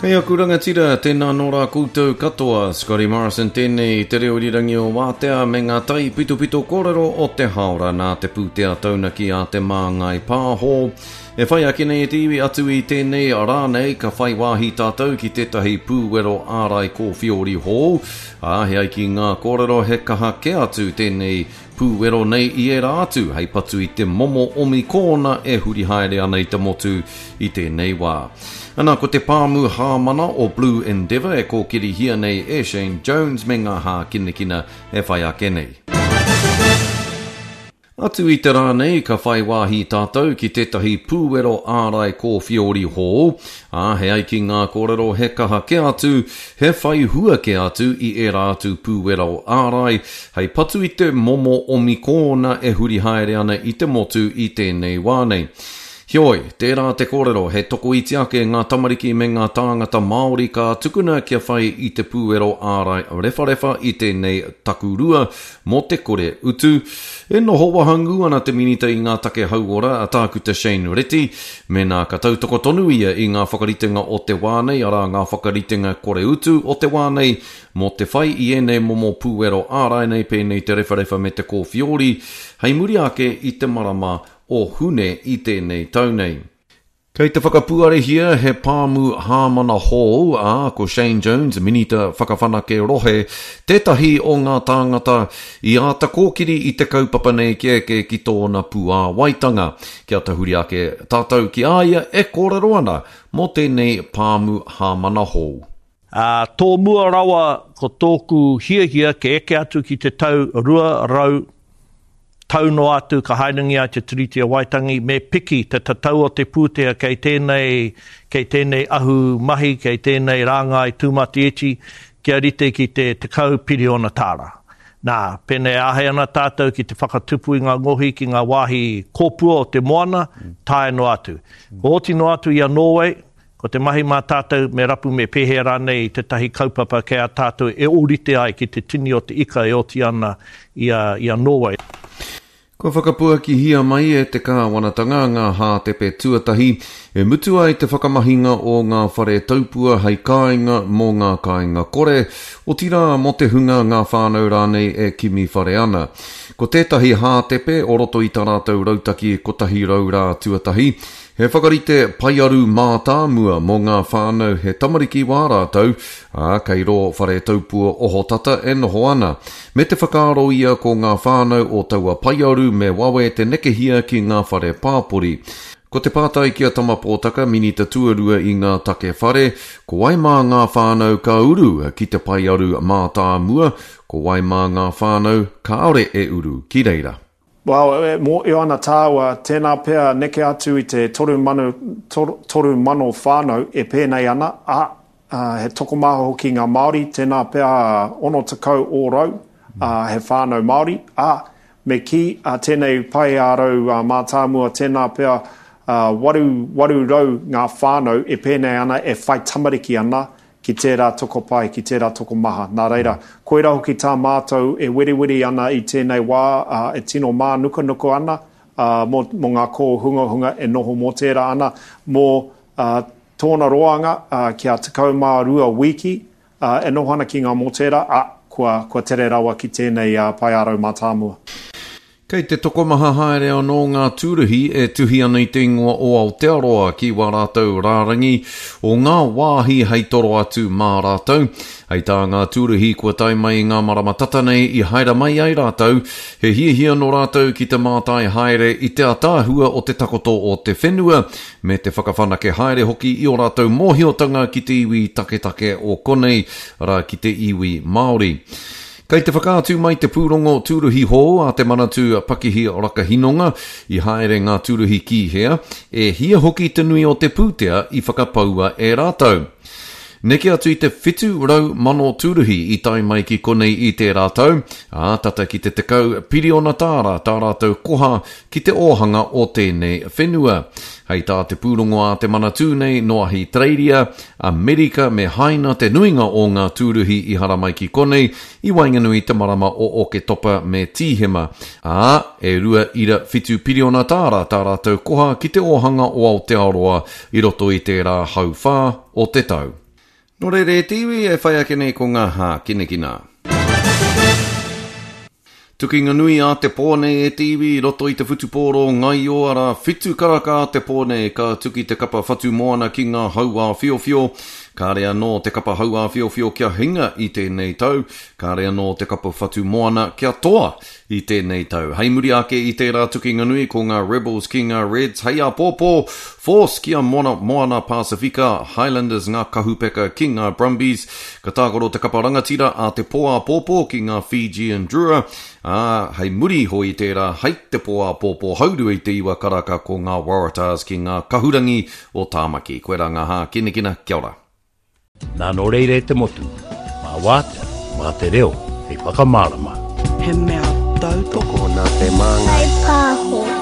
Kei aku rangatira, tēnā nō rā koutou katoa. Scotty Morrison tēnei, te reo irirangi o Wātea me ngā taipitopito kōrero o te hāora nā te pūtea taunaki a Te Māngai Pāho. E whai ake nei e te iwi atu i tēnei rā nei ka whai wāhi tātou ki tētahi pūwero ārai kōwhiori hou, ā, he ai ki ngā kōrero he kaha kē atu tēnei pūwero nei i ērā atu hei patu i te momo omikōna e huri haere ana i te motu i tēnei wā. Ana, ko te pāmu hāmana o Blue Endeavour e kōkirihia nei e Shane Jones me ngā hākinakina e whai ake nei. Atu i te rā nei ka whai wāhi tātou ki tētahi pūwero ārai kōwhiori hou, ā, he ai ki ngā kōrero he kaha kē atu, he whai hua kē atu i ērā atu pūwero ārai hei patu i te momo omikōna e huri haere ana i te motu i tēnei wā nei. Heoi, tērā te kōrero he tokoiti ake ngā tamariki me ngā tāngata Māori ka tukuna kia whai i te pūwero ārai rewharewha i tēnei takurua mō te kore utu. E noho wahangū ana te Minita i ngā take hauora, a Tākuta Shane Reti, mēnā ka tautoko tonu ia i ngā whakaritenga o te wā nei, arā ngā whakaritenga kore utu o te wā nei mō te whai i ēnei momo pūwero ārai nei pēnei te rewharewha me te kōwhiori, hei muri ake i te marama o Hune i tēnei tau nei. Kei te whakapuarehia he pāmu hāmana hou, ā, ko Shane Jones, Minita Whakawhanake Rohe, tētahi o ngā tāngata i āta kōkiri i te kaupapa nei kia eke ki tōna puāwaitanga. Kia tahuri ake tātou ki a ia e kōrero ana mō tēnei pāmu hāmana hou. Ā, tōmua rawa ko tōku hiahia kia eke atu ki te tau 200 tau noa atu ka haerengia ai te Tiriti o Waitangi, me piki te tatau o te pūtea kei tēnei, kei tēnei ahu mahi, kei tēnei rāngai tūmatiiti kia rite ki te 10 piriona tāra. Nā, pēnei e āhei ana tātou ki te whakatupu i ngā ngohi ki ngā wāhi kōpua o te moana, taea noa atu. Kua oti noa atu i a Nōwei, Ko te mahi mā tātou me rapu me pēhea rānei tētahi kaupapa kei a tātou e ōrite ai ki te tini o te ika e oti ana i a, i a Nōwei. Kua whakapuakihia mai e te kāwanatanga ngā hātepe tuatahi e mutu ai te whakamahinga o ngā whare taupua hei kāinga mō ngā kāinga kore, otirā mō te hunga ngā whānau rānei e kimi whare ana. Ko tētahi hātepe o roto i tā rātou rautaki 100 rā tuatahi, He whakarite paearu mātāmua mō ngā whānau he tamariki wā rātou, ā, kei rō whare taupua ohotata e noho ana. Me te whakaaro ia ko ngā whānau o taua paearu me wawe te nekehia ki ngā whare pāpori. Ko te pātai ki a Tama Pōtaka, Minita Tuarua i ngā take whare, ko wai mā ngā whānau ka uru ki te paearu mātāmua, ko wai mā ngā whānau kāore e uru ki reira? Well, e mōhio ana tāua, tēnā pea neke atu i te 3,000, 3,000 whānau e pēnei ana, ā, he tokomaha hoki ngā Māori, tēnā pea 60 ōrau he whānau Māori, ā, me kī, tēnei pae ā-rau mātāmua, tēnā pea 800 ngā whānau e pēnei ana, e whai tamariki ana, ki tērā tokopae, ki tērā tokomaha. Nā reira, koirā hoki tā mātou e weriweri ana i tēnei wā, ā, e tino mānukanuka ana, ā, mō, mō ngā kōhungahunga e noho mō tērā ana, mō, ā, tōna roanga, ā, kia 12 wīki, ā, e noho ana ki ngā mōtēra, ā, kua, kua tere rawa ki tēnei, ā, paeārau mātāmua. Kei te tokomaha haere anō ngā tūruhi e tuhi ana i te ingoa o Aotearoa ki wā rātou rārangi o ngā wāhi hei toro atu mā rātou. Hei tā ngā tūruhi kua tae mai i ngā marama tata nei i haere mai ai rātou, he hiahia nō rātou ki te mātai haere i te ataahua o te takoto o te whenua me te whakawhanake haere hoki i ō rātou mōhiotanga ki te iwi taketake o konei, arā ki te iwi Māori. Kei te whakaatu mai te pūrongo tūruhi hou a Te Manatū Pakihi Rakahinonga i haere ngā tūruhi ki hea, e hia hoki te nui o te pūtea i whakapaua e rātou. Neke atu i te 700,000 tūruhi i tae mai ki konei i tērā tau, ā, tata ki te 10 piriona tāra tā rātou koha ki te ōhanga o tēnei whenua. Hei tā te pūrongo a Te Manatū nei, nō Ahitereiria, Amerika me Haina te nuinga o ngā tūruhi i haramai ki konei i waenganui i te marama o Oketopa me Tīhema, ā, e 2.7 piriona tāra tā rātou koha ki te ōhanga o Aotearoa i roto i tērā hauwhā o te tau. Nō reira e te iwi e whai ake nei ko ngā hākinakina. Tukinga nui a te pō nei e te iwi i roto i te whutupōro ngaio arā whitu karaka a te pō nei ka tuki te kapa Whatumoana ki ngā hauāwhiowhio. Kāre anō te kapa hauāwhiowhio kia hinga i tēnei tau, kāre anō te kapa Whatumoana kia toa i tēnei tau. Hei muri ake i tērā tukinga nui ko ngā Rebels ki ngā Reds hei āpōpō, Force ki a Moana, Moana Pasifika, Highlanders ngā kahupeka ki ngā Brumbies, Ka tākaro te kapa rangatira a te pō āpōpō ki ngā Fijian Drua, ā, hei muri iho i tērā, hei te pō āpōpō haurua i te iwa karaka ko ngā Waratahs ki ngā kahurangi o Tāmaki. Koirā ngā hākinakina, kia ora. Nā nō reira e te motu, mā wātea, mā te reo hei whakamārama. He mea tautoko. Tokona te māngai. Whai pāho.